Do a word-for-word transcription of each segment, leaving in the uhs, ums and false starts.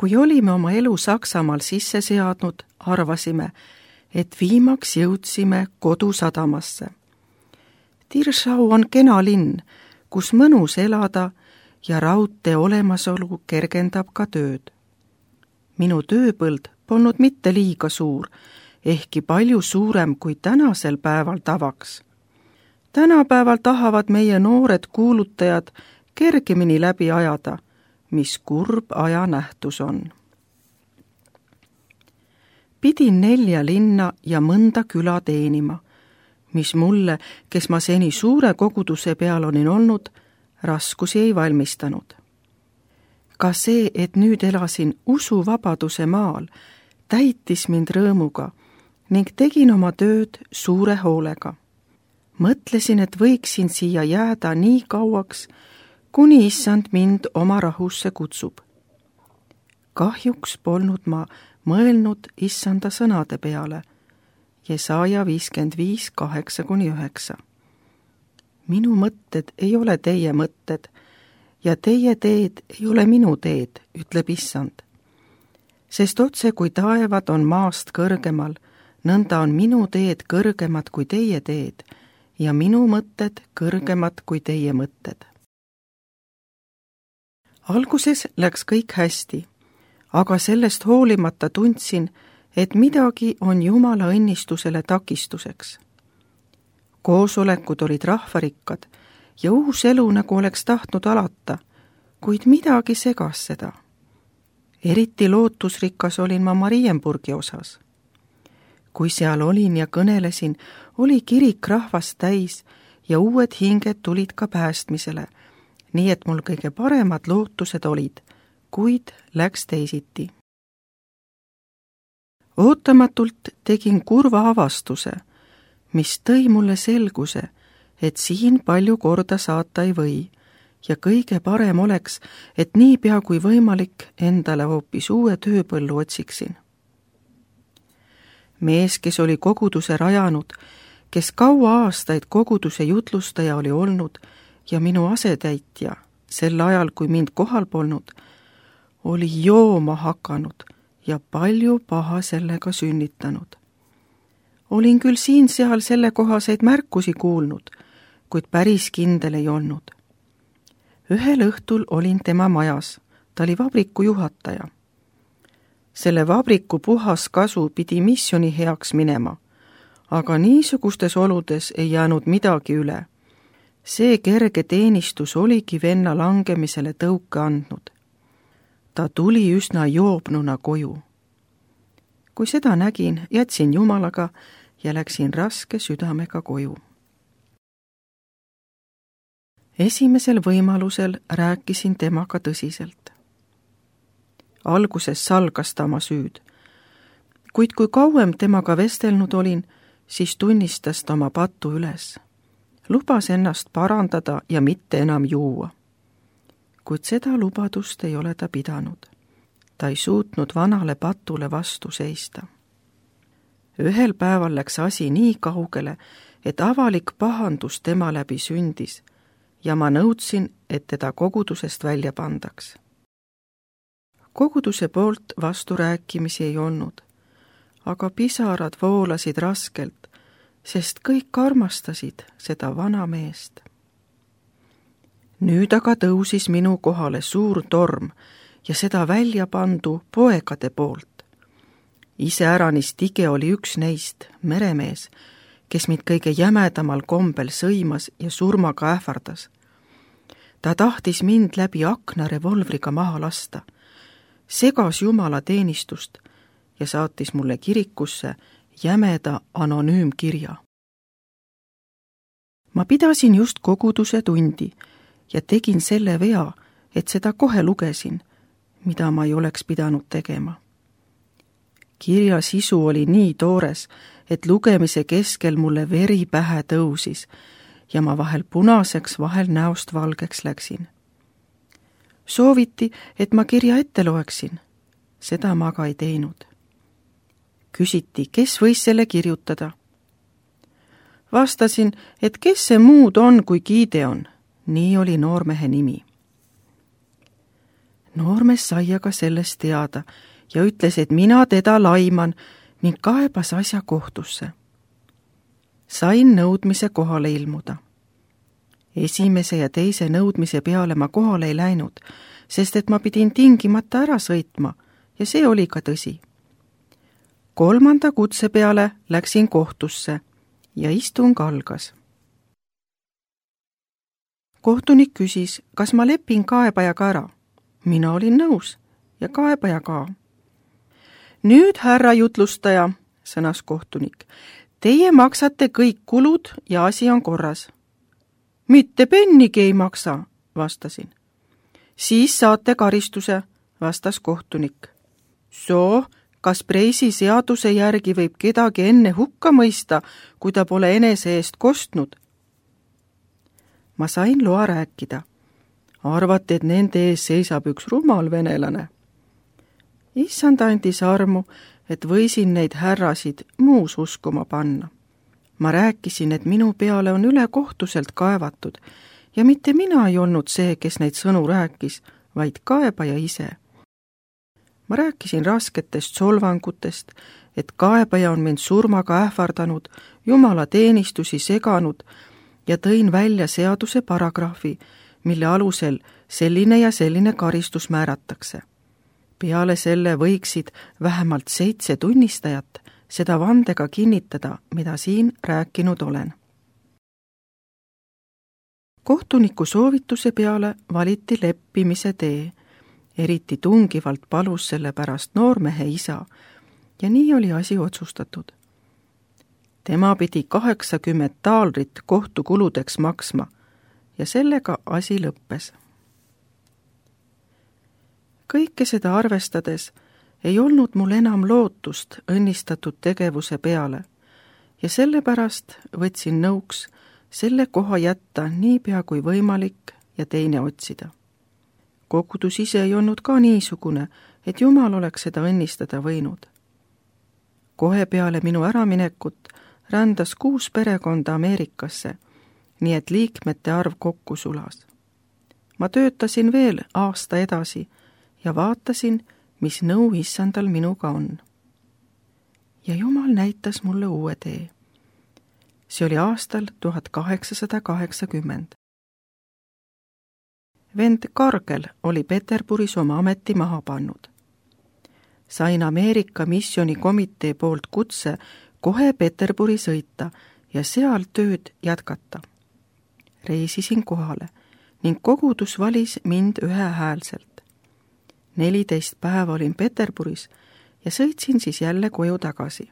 kui olime oma elu Saksamaal sisse seadnud, arvasime, et viimaks jõudsime kodusadamasse. Tirschau on kena linn, kus mõnus elada ja raudtee olemasolu kergendab ka tööd. Minu tööpõld polnud mitte liiga suur, ehkki palju suurem kui tänasel päeval tavaks. Tänapäeval tahavad meie noored kuulutajad kergemini läbi ajada, mis kurb ajanähtus on. Pidin nelja linna ja mõnda küla teenima, mis mulle, kes ma seni suure koguduse peal olin olnud, raskusi ei valmistanud. Ka see, et nüüd elasin usuvabaduse maal, täitis mind rõõmuga ning tegin oma tööd suure hoolega. Mõtlesin, et võiksin siia jääda nii kauaks, kuni issand mind oma rahusse kutsub. Kahjuks polnud ma mõelnud issanda sõnade peale, Jesaja viiskümmend viis, kaheksa kuni üheksa. Minu mõtted ei ole teie mõtted ja teie teed ei ole minu teed, ütleb issand. Sest otse kui taevad on maast kõrgemal, nõnda on minu teed kõrgemad kui teie teed ja minu mõtted kõrgemad kui teie mõtted. Alguses läks kõik hästi, aga sellest hoolimata tundsin, et midagi on Jumala õnnistusele takistuseks. Koosolekud olid rahvarikkad ja uus elu nagu oleks tahtnud alata, kuid midagi segas seda. Eriti lootusrikas olin ma Marienburgi osas. Kui seal olin ja kõnelesin, oli kirik rahvast täis ja uued hinged tulid ka päästmisele, nii et mul kõige paremad lootused olid, kuid läks teisiti. Ootamatult tegin kurva avastuse, mis tõi mulle selguse, et siin palju korda saata ei või ja kõige parem oleks, et niipea kui võimalik endale hoopis uue tööpõllu otsiksin. Mees, kes oli koguduse rajanud, kes kaua aastaid koguduse jutlustaja oli olnud ja minu asetäitja sel ajal, kui mind kohal polnud, oli jooma hakanud ja palju paha sellega sünnitanud. Olin küll siin-seal sellekohaseid märkusi kuulnud, kuid päris kindel ei olnud. Ühel õhtul olin tema majas, ta oli vabriku juhataja. Selle vabriku puhas kasu pidi missiooni heaks minema, aga niisugustes oludes ei jäänud midagi üle. See kerge teenistus oligi venna langemisele tõuke andnud. Ta tuli üsna joobnuna koju. Kui seda nägin, jätsin Jumalaga ja läksin raske südamega koju. Esimesel võimalusel rääkisin temaga tõsiselt. Alguses salgas ta oma süüd, kuid kui kauem temaga vestelnud olin, siis tunnistas ta oma patu üles. Lubas ennast parandada ja mitte enam juua. Kuid seda lubadust ei ole ta pidanud. Ta ei suutnud vanale patule vastu seista. Ühel päeval läks asi nii kaugele, et avalik pahandus tema läbi sündis ja ma nõudsin, et teda kogudusest välja pandaks. Koguduse poolt vasturääkimisi ei olnud, aga pisarad voolasid raskelt, sest kõik armastasid seda vana meest. Nüüd aga tõusis minu kohale suur torm ja seda välja pandu poegade poolt. Iseäranis tige oli üks neist, meremees, kes mind kõige jämedamal kombel sõimas ja surmaga ähvardas. Ta tahtis mind läbi akna revolvriga maha lasta, segas Jumala teenistust ja saatis mulle kirikusse jämeda anonüümkirja. Ma pidasin just koguduse tundi ja tegin selle vea, et seda kohe lugesin, mida ma ei oleks pidanud tegema. Kirja sisu oli nii toores, et lugemise keskel mulle veri pähe tõusis ja ma vahel punaseks, vahel näost valgeks läksin. Sooviti, et ma kirja ette loeksin. Seda ma aga ei teinud. Küsiti, kes võis selle kirjutada. Vastasin, et kes see muud on kui Gideon. Nii oli noormehe nimi. noormees sai aga sellest teada ja ütles, et mina teda laiman ning kaebas asja kohtusse. Sain nõudmise kohale ilmuda. Esimese ja teise nõudmise peale ma kohale ei läinud, sest et ma pidin tingimata ära sõitma ja see oli ka tõsi. Kolmanda kutse peale läksin kohtusse ja istung algas. Kohtunik küsis, kas ma lepin kaebajaga ära. Mina olin nõus ja kaebaja ka. Nüüd, härra jutlustaja, sõnas kohtunik, teie maksate kõik kulud ja asi on korras. Mitte pennigi ei maksa, vastasin. Siis saate karistuse, vastas kohtunik. Soo, kas Preisi seaduse järgi võib kedagi enne hukka mõista, kui ta pole enese eest kostnud? Ma sain loa rääkida. Arvati, et nende ees seisab üks rumal venelane. Issand andis armu, et võisin neid härrasid muus uskuma panna. Ma rääkisin, et minu peale on ülekohtuselt kaevatud ja mitte mina ei olnud see, kes neid sõnu rääkis, vaid kaebaja ise. Ma rääkisin rasketest solvangutest, et kaebaja on mind surmaga ähvardanud, jumala teenistusi seganud ja tõin välja seaduse paragrahvi, mille alusel selline ja selline karistus määratakse. Peale selle võiksid vähemalt seitse tunnistajat seda vandega kinnitada, mida siin rääkinud olen. Kohtuniku soovituse peale valiti leppimise tee, eriti tungivalt palus selle pärast noormehe isa ja nii oli asi otsustatud. Tema pidi kaheksakümmend taalrit kohtukuludeks maksma ja sellega asi lõppes. Kõike seda arvestades ei olnud mul enam lootust õnnistatud tegevuse peale ja sellepärast võtsin nõuks selle koha jätta niipea kui võimalik ja teine otsida. Kogudus ise ei olnud ka niisugune, et Jumal oleks seda õnnistada võinud. Kohe peale minu äraminekut rändas kuus perekonda Ameerikasse, nii et liikmete arv kokku sulas. Ma töötasin veel aasta edasi ja vaatasin, mis nõu issandal minuga on. Ja Jumal näitas mulle uue tee. See oli aastal tuhat kaheksasada kaheksakümmend. Vend Kargel oli Peterburis oma ameti maha pannud. Sain Ameerika missionikomitee poolt kutse kohe Peterburi sõita ja seal tööd jätkata. Reisisin kohale ning kogudus valis mind ühehäälselt. neliteist päeva olin Peterburis ja sõitsin siis jälle koju tagasi.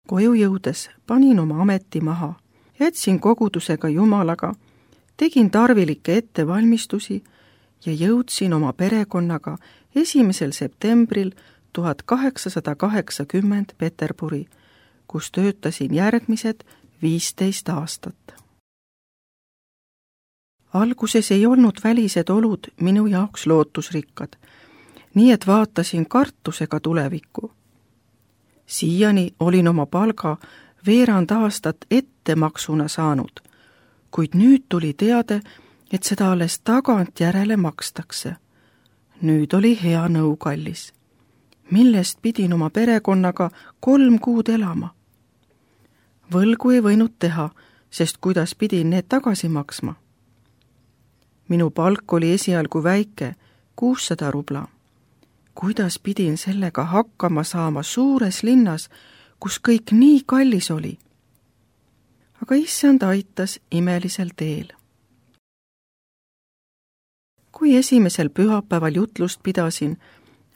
Koju jõudes panin oma ameti maha, jätsin kogudusega Jumalaga, tegin tarvilikke ettevalmistusi ja jõudsin oma perekonnaga esimesel septembril tuhat kaheksasada kaheksakümmend Peterburi, kus töötasin järgmised viisteist aastat. Alguses ei olnud välised olud minu jaoks lootusrikkad, nii et vaatasin kartusega tulevikku. Siiani olin oma palga veerand aastat ettemaksuna saanud, kuid nüüd tuli teade, et seda alles tagantjärele makstakse. Nüüd oli hea nõu kallis, millest pidin oma perekonnaga kolm kuud elama. Võlgu ei võinud teha, sest kuidas pidin need tagasi maksma. Minu palk oli esialgu väike, kuussada rubla. Kuidas pidin sellega hakkama saama suures linnas, kus kõik nii kallis oli? Aga issand aitas imelisel teel. Kui esimesel pühapäeval jutlust pidasin,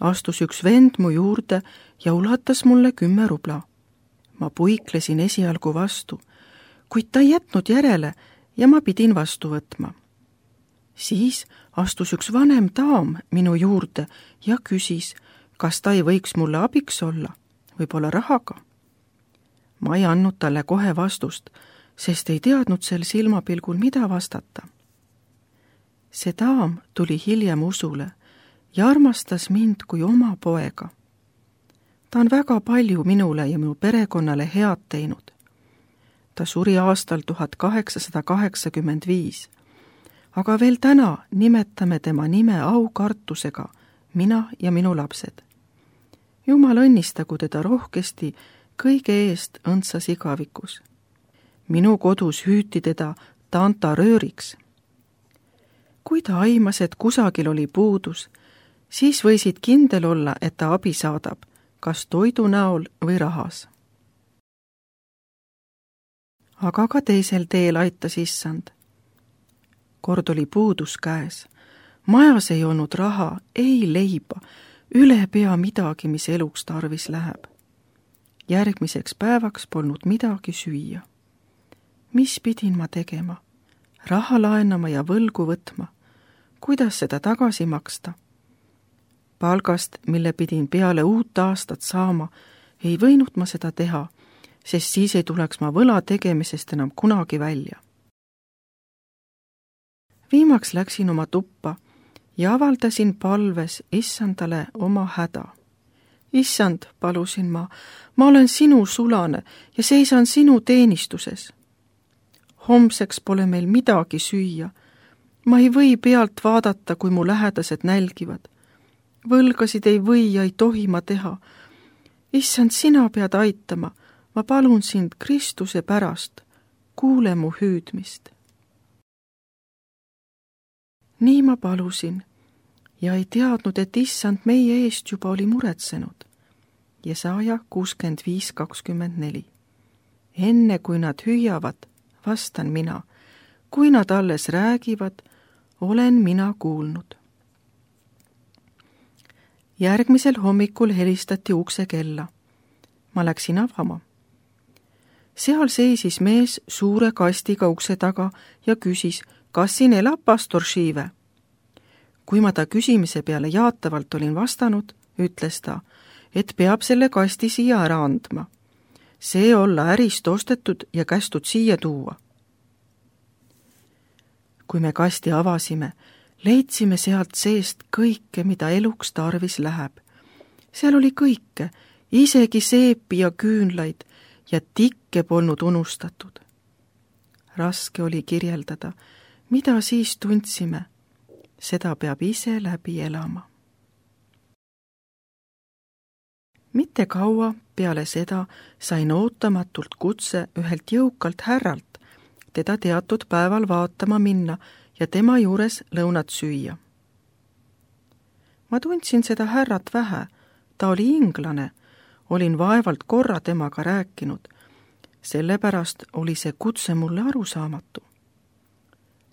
astus üks vend mu juurde ja ulatas mulle kümme rubla. Ma puiklesin esialgu vastu, kuid ta ei jätnud järele ja ma pidin vastu võtma. Siis astus üks vanem daam minu juurde ja küsis, kas ta ei võiks mulle abiks olla, võib-olla rahaga. Ma ei andnud talle kohe vastust, sest ei teadnud sel silmapilgul, mida vastata. See daam tuli hiljem usule ja armastas mind kui oma poega. Ta on väga palju minule ja minu perekonnale head teinud. Ta suri aastal tuhat kaheksasada kaheksakümmend viis. aga veel täna nimetame tema nime aukartusega, mina ja minu lapsed. Jumal õnnistagu teda rohkesti kõige eest õndsas igavikus. Minu kodus hüüti teda Tanta rööriks. Kui ta aimas, et kusagil oli puudus, siis võisid kindel olla, et ta abi saadab, kas toidu näol või rahas. Aga ka teisel teel aitas issand. Kord oli puudus käes. Majas ei olnud raha, ei leiba, üle pea midagi, mis eluks tarvis läheb. Järgmiseks päevaks polnud midagi süüa. Mis pidin ma tegema? Raha laenama ja võlgu võtma. Kuidas seda tagasi maksta? Palgast, mille pidin peale uut aastat saama, ei võinud ma seda teha, sest siis ei tuleks ma võla tegemisest enam kunagi välja. Viimaks läksin oma tuppa ja avaldasin palves issandale oma häda. Issand, palusin ma, ma olen sinu sulane ja seisan sinu teenistuses. Homseks pole meil midagi süüa. Ma ei või pealt vaadata, kui mu lähedased nälgivad. Võlgasid ei või ja ei tohi ma teha. Issand, sina pead aitama. Ma palun sind Kristuse pärast. Kuule mu hüüdmist. Nii ma palusin ja ei teadnud, et issand meie eest juba oli muretsenud. Jesaja kuuskümmend viis kakskümmend neli. Enne kui nad hüüavad, vastan mina. Kui nad alles räägivad, olen mina kuulnud. Järgmisel hommikul helistati ukse kella. Ma läksin avama. Seal seisis mees suure kastiga ukse taga ja küsis, kas siin elab pastor Šiive. Kui ma ta küsimise peale jaatavalt olin vastanud, ütles ta, et peab selle kasti siia ära andma. See olla ärist ostetud ja kästud siia tuua. Kui me kasti avasime, leidsime sealt seest kõike, mida eluks tarvis läheb. Seal oli kõike, isegi seepi ja küünlaid ja tikke polnud unustatud. Raske oli kirjeldada, mida siis tundsime. Seda peab ise läbi elama. Mitte kaua peale seda sain ootamatult kutse ühelt jõukalt härralt, teda teatud päeval vaatama minna ja tema juures lõunat süüa. Ma tundsin seda härrat vähe, ta oli inglane, olin vaevalt korra temaga rääkinud, sellepärast oli see kutse mulle arusaamatu.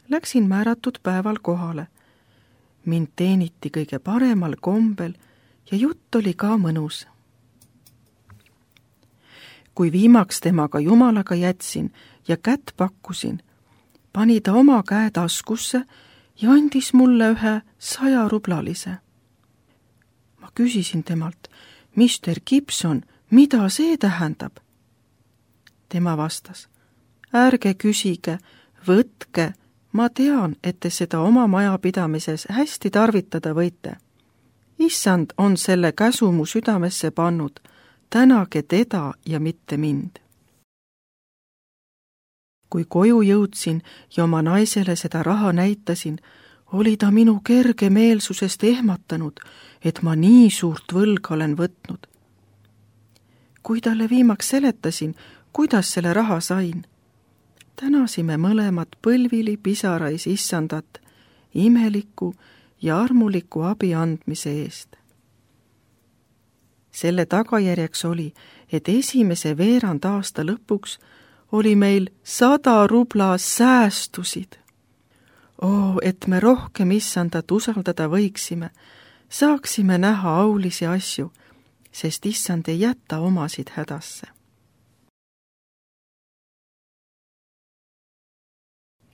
Läksin määratud päeval kohale. Mind teeniti kõige paremal kombel ja jutt oli ka mõnus. Kui viimaks temaga Jumalaga jätsin ja kätt pakkusin, pani ta oma käe taskusse ja andis mulle ühe saja rublalise. Ma küsisin temalt, mister Gibson, mida see tähendab? Tema vastas, ärge küsige, võtke, ma tean, et te seda oma majapidamises hästi tarvitada võite. Issand on selle käsu mu südamesse pannud, tänage teda ja mitte mind. Kui koju jõudsin ja oma naisele seda raha näitasin, oli ta minu kergemeelsusest ehmatanud, et ma nii suurt võlga olen võtnud. Kui talle viimaks seletasin, kuidas selle raha sain, tänasime mõlemad põlvili pisarais issandat imeliku ja armuliku abi andmise eest. Selle tagajärjeks oli, et esimese veerand aasta lõpuks oli meil sada rubla säästusid. Oo, et me rohkem issandat usaldada võiksime, saaksime näha aulisi asju, sest issand ei jäta omasid hädasse.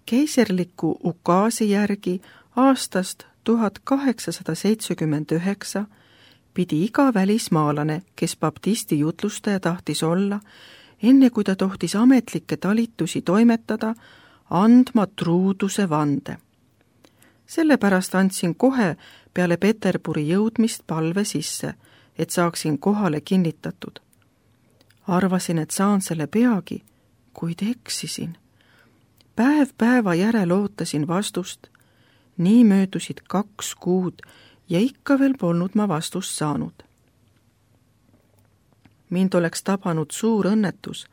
Keiserliku ukaasi järgi aastast tuhat kaheksasada seitsekümmend üheksa pidi iga välismaalane, kes baptisti jutlustaja tahtis olla, enne kui ta tohtis ametlikke talitusi toimetada, andma truuduse vande. Sellepärast andsin kohe peale Peterburi jõudmist palve sisse, et saaksin kohale kinnitatud. Arvasin, et saan selle peagi, kuid eksisin. Päev päeva järel ootasin vastust, nii möödusid kaks kuud ja ikka veel polnud ma vastust saanud. Mind oleks tabanud suur õnnetus,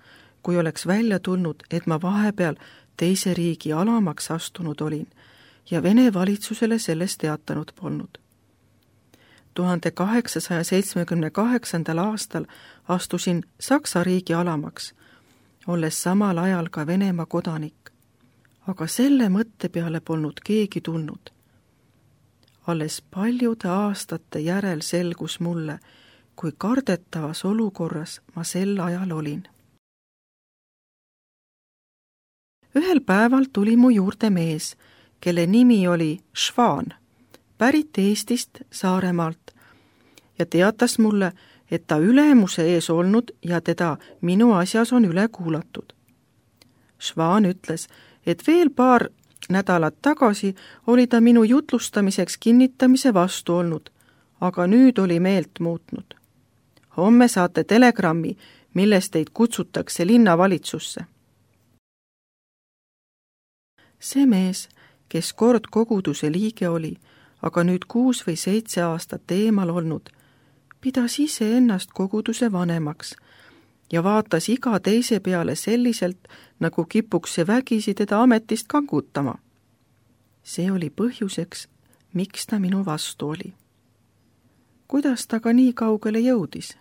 kui oleks välja tulnud, et ma vahepeal teise riigi alamaks astunud olin ja Vene valitsusele sellest teatanud polnud. tuhande kaheksasaja seitsmekümne kaheksandal aastal astusin Saksa riigi alamaks, olles samal ajal ka Venemaa kodanik, aga selle mõtte peale polnud keegi tulnud. Alles paljude aastate järel selgus mulle, kui kardetavas olukorras ma sel ajal olin. Ühel päeval tuli mu juurde mees, kelle nimi oli Švaan, pärit Eestist Saaremaalt, ja teatas mulle, et ta ülemuse ees olnud ja teda minu asjas on üle kuulatud. Švaan ütles, et veel paar nädalat tagasi oli ta minu jutlustamiseks kinnitamise vastu olnud, aga nüüd oli meelt muutnud. Homme saate telegrammi, milles teid kutsutakse linnavalitsusse. See mees, kes kord koguduse liige oli, aga nüüd kuus või seitse aastat eemal olnud, pidas ise ennast koguduse vanemaks ja vaatas iga teise peale selliselt, nagu kipuks see vägisi teda ametist kangutama. See oli põhjuseks, miks ta minu vastu oli. Kuidas ta ka nii kaugele jõudis?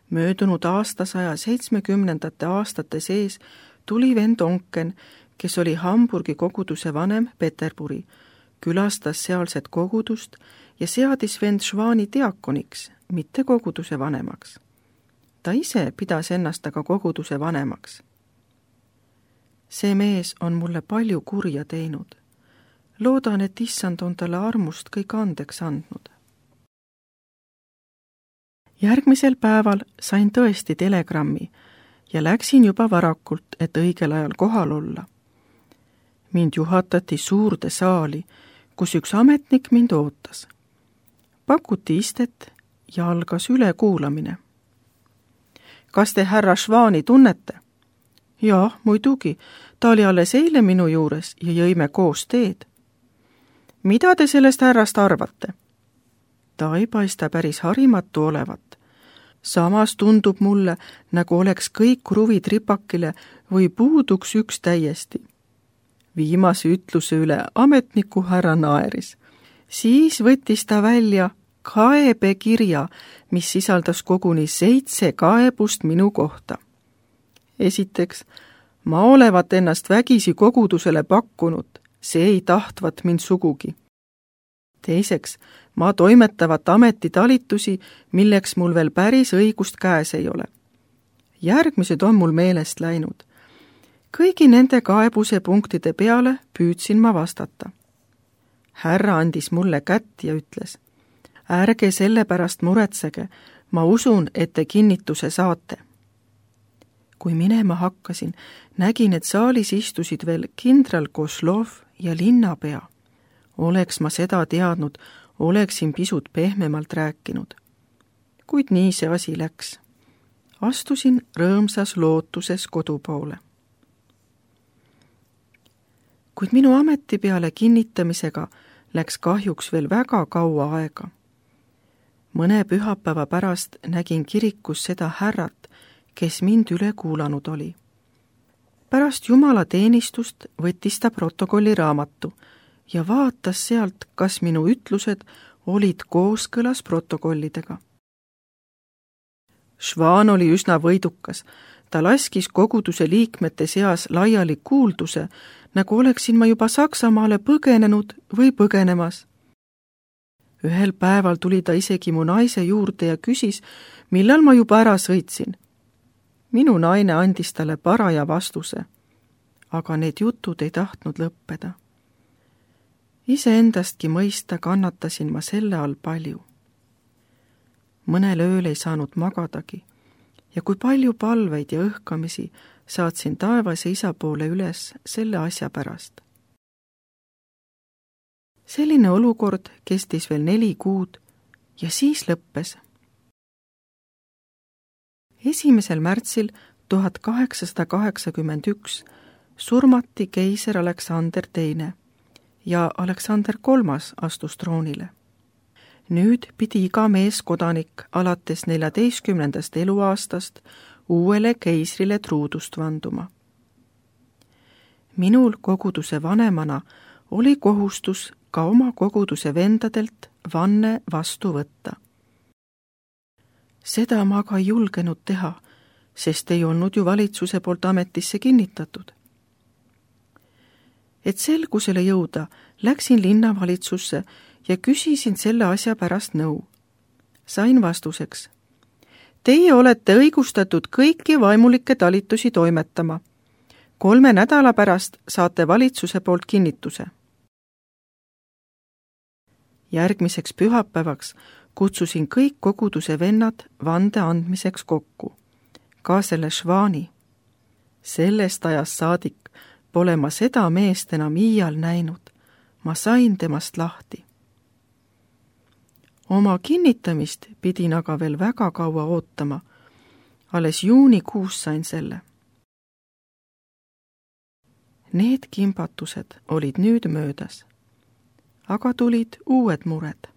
Möödunud aastasaja seitsmekümnendate aastate sees tuli vend Onken, kes oli Hamburgi koguduse vanem Peterburi, külastas sealset kogudust ja seadis vend Švaani diakoniks, mitte koguduse vanemaks. Ta ise pidas ennast aga koguduse vanemaks. See mees on mulle palju kurja teinud. Loodan, et issand on talle armust kõik andeks andnud. Järgmisel päeval sain tõesti telegrammi ja läksin juba varakult, et õigel ajal kohal olla. Mind juhatati suurde saali, kus üks ametnik mind ootas. Pakuti istet ja algas ülekuulamine. Kas te härra Švaani tunnete? Jaa, muidugi, ta oli alles eile minu juures ja jõime koos teed. Mida te sellest härrast arvate? Ta ei paista päris harimatu olevat. Samas tundub mulle, nagu oleks kõik kruvid ripakile või puuduks üks täiesti. Viimase ütluse üle ametniku härra naeris. Siis võttis ta välja kaebekirja, mis sisaldas koguni seitse kaebust minu kohta. Esiteks, ma olevat ennast vägisi kogudusele pakkunud, see ei tahtvat mind sugugi. Teiseks, ma toimetavat ametitalitusi, milleks mul veel päris õigust käes ei ole. Järgmised on mul meelest läinud. Kõigi nende kaebuse punktide peale püüdsin ma vastata. Härra andis mulle kätt ja ütles, ärge selle pärast muretsege, ma usun, et te kinnituse saate. Kui minema hakkasin, nägin, et saalis istusid veel kindral Koslov ja linnapea. Oleks ma seda teadnud, oleksin pisut pehmemalt rääkinud. Kuid nii see asi läks. Astusin rõõmsas lootuses kodu poole. Kuid minu ameti peale kinnitamisega läks kahjuks veel väga kaua aega. Mõne pühapäeva pärast nägin kirikus seda härrat, kes mind üle kuulanud oli. Pärast Jumala teenistust võttis ta protokolli raamatu ja vaatas sealt, kas minu ütlused olid kooskõlas protokollidega. Švaan oli üsna võidukas. Ta laskis koguduse liikmete seas laiali kuulduse, nagu oleksin ma juba Saksamaale põgenenud või põgenemas. Ühel päeval tuli ta isegi mu naise juurde ja küsis, millal ma juba ära sõitsin. Minu naine andis talle paraja vastuse, aga need jutud ei tahtnud lõppeda. Iseendastki mõista kannatasin ma selle all palju. Mõnel ööl ei saanud magadagi ja kui palju palveid ja õhkamisi saatsin taevase isa poole üles selle asja pärast. Selline olukord kestis veel neli kuud ja siis lõppes. Esimesel märtsil tuhat kaheksasada kaheksakümmend üks surmati keiser Aleksander teine ja Aleksander kolmas astus troonile. Nüüd pidi iga meeskodanik alates neljateistkümnendast eluaastast uuele keisrile truudust vanduma. Minul koguduse vanemana oli kohustus ka oma koguduse vendadelt vanne vastu võtta. Seda ma aga ei julgenud teha, sest ei olnud ju valitsuse poolt ametisse kinnitatud. Et selgusele jõuda, läksin linnavalitsusse ja küsisin selle asja pärast nõu. Sain vastuseks: teie olete õigustatud kõiki vaimulikke talitusi toimetama. Kolme nädala pärast saate valitsuse poolt kinnituse. Järgmiseks pühapäevaks kutsusin kõik koguduse vennad vande andmiseks kokku, ka selle Švani. Sellest ajast saadik pole ma seda meest enam iial näinud. Ma sain temast lahti. Oma kinnitamist pidin aga veel väga kaua ootama. Alles juunikuus sain selle. Need kimbatused olid nüüd möödas, aga tulid uued mured.